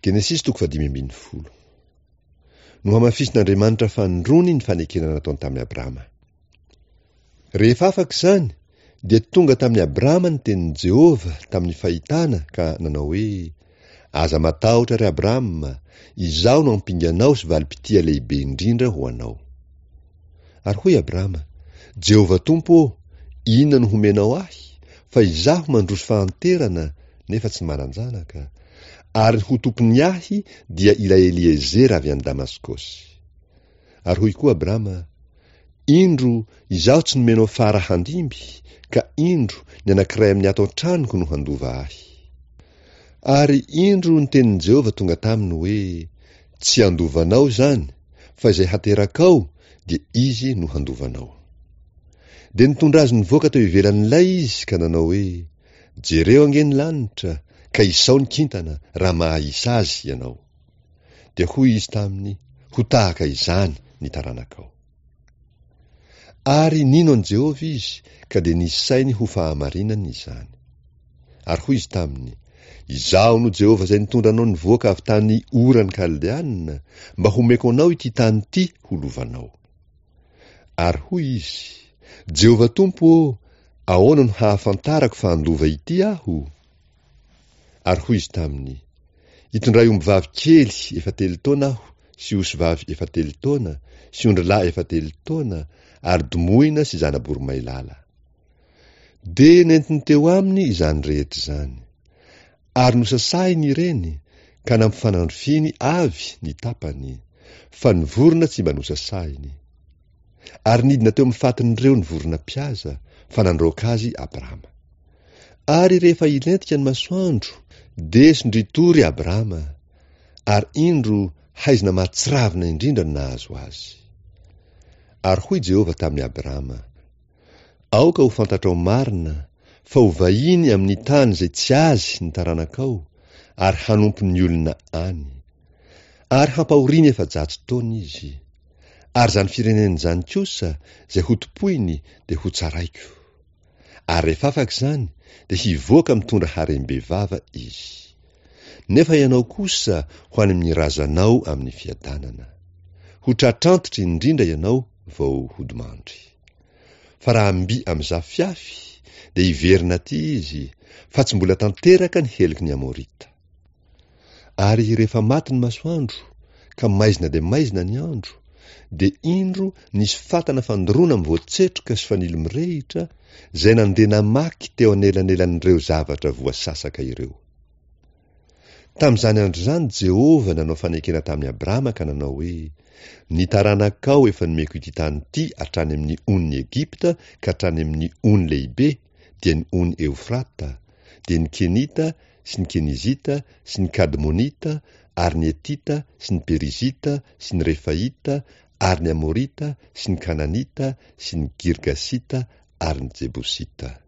Genesisy toko fahadimy ambin'ny folo. Nohamafisin'Andriamanitra fanindroany ny fanekena nataony tamin'i Abrama. Rehefa afaka izany, dia tonga tamin'i Abrama ny tenin'i Jehovah tamin'ny fahitana ka nanao hoe, Aza matahotra, ry Abrama, izaho no ampinganao sy valim-pitia lehibe indrindra ho anao. Ary hoy Abrama, Jehovah Tompo ô, inona no homenao ahy, fa izaho mandroso fahanterana nefa tsy manan-janaka, ary ny ho tompon'ny ahy dia ilay Eliezera avy any Damaskosy. Ary hoy koa Abrama, Indro, izaho tsy nomenao fara handimby, ka indro, ny anankiray amin'ny ato an-tranoko no handova ahy. Ary indro ny tenin'i Jehovah tonga taminy hoe, Tsy handova anao izany, fa izay haterakao, dia izy no handova anao. Dia nitondra azy nivoaka teo ivelan'ilay izy ka nanao hoe, Jereo ange ny lanitra, ka isao ny kintana, raha mahahisa azy ianao. Dia hoy izy taminy, Ho tahaka izany ny taranakao. Ary nino an'i Jehovah izy, ka dia nisainy ho fahamarinany izany. Ary hoy izy taminy, Izaho no Jehovah izay nitondra anao nivoaka avy tany Ora ny Kaldeana, mba homeko anao ity tany ity ho lovanao. Ary hoy izy, Jehovah Tompo ô, ahoana no hahafantarako fa handova ity aho? Ary hoy izy taminy, Itondray ombivavy kely efa telo taona aho sy osivavy efa telo taona sy ondrilahy efa telo taona ary domohina sy zana-boromailala. Dia nentiny teo aminy izany rehetra izany. Ary nosasahiny ireny ka nampifanandrifiny avy ny tapany, fa ny vorona tsy mba nosasahiny. Ary nidina teo amin'ny fatin'ireo ny vorona mpihaza, fa nandroaka azy Abrama. Ary rehefa hilentika ny masoandro, dia sondrian-tory Abrama, ary indro haizina mahatsiravina indrindra no nahazo azy. Ary hoy Jehovah tamin'i Abrama, Aoka ho fantatrao marina fa ho vahiny amin'ny tany izay tsy azy ny taranakao, ary hanompo ny olona any. Ary hampahoriany 400 taona izy. Ary izany firenena izany kosa, izay hotompoiny, dia hotsaraiko. Ary rehefa afaka izany, dia hivoaka mitondra harem-bevava izy. Nefa ianao kosa ho any amin'ny razanao amin'ny fiadanana. Ho tratrantitra indrindra ianao vao hodimandry. Fa raha mby amin'izafiafy, dia hiverina aty izy, fa tsy mbola tanteraka ny heloky ny Amorita. Ary rehefa maty ny masoandro, ka maizina dia maizina ny andro, dia indro nisy fatana fandoroana mivoatsetroka sy fanilo mirehitra, izay nandeha namaky teo anelanelan'ireo zavatra voasasaka ireo. Tamin'izany andro izany Jehovah nanao fanekena tamin'i Abrama ka nanao hoe, Ny taranakao efa nomeko ity tany ity hatrany amin'ny onin'i Egypta ka hatrany amin'ny ony lehibe, dia ny ony Eofrata, dia ny Kenita sy ny Kenizita sy ny Kadmonita ary ny Hetita sy ny Perizita sy ny Refaita ary ny Amorita sy ny Kananita sy ny Girgasita ary ny Jebosita.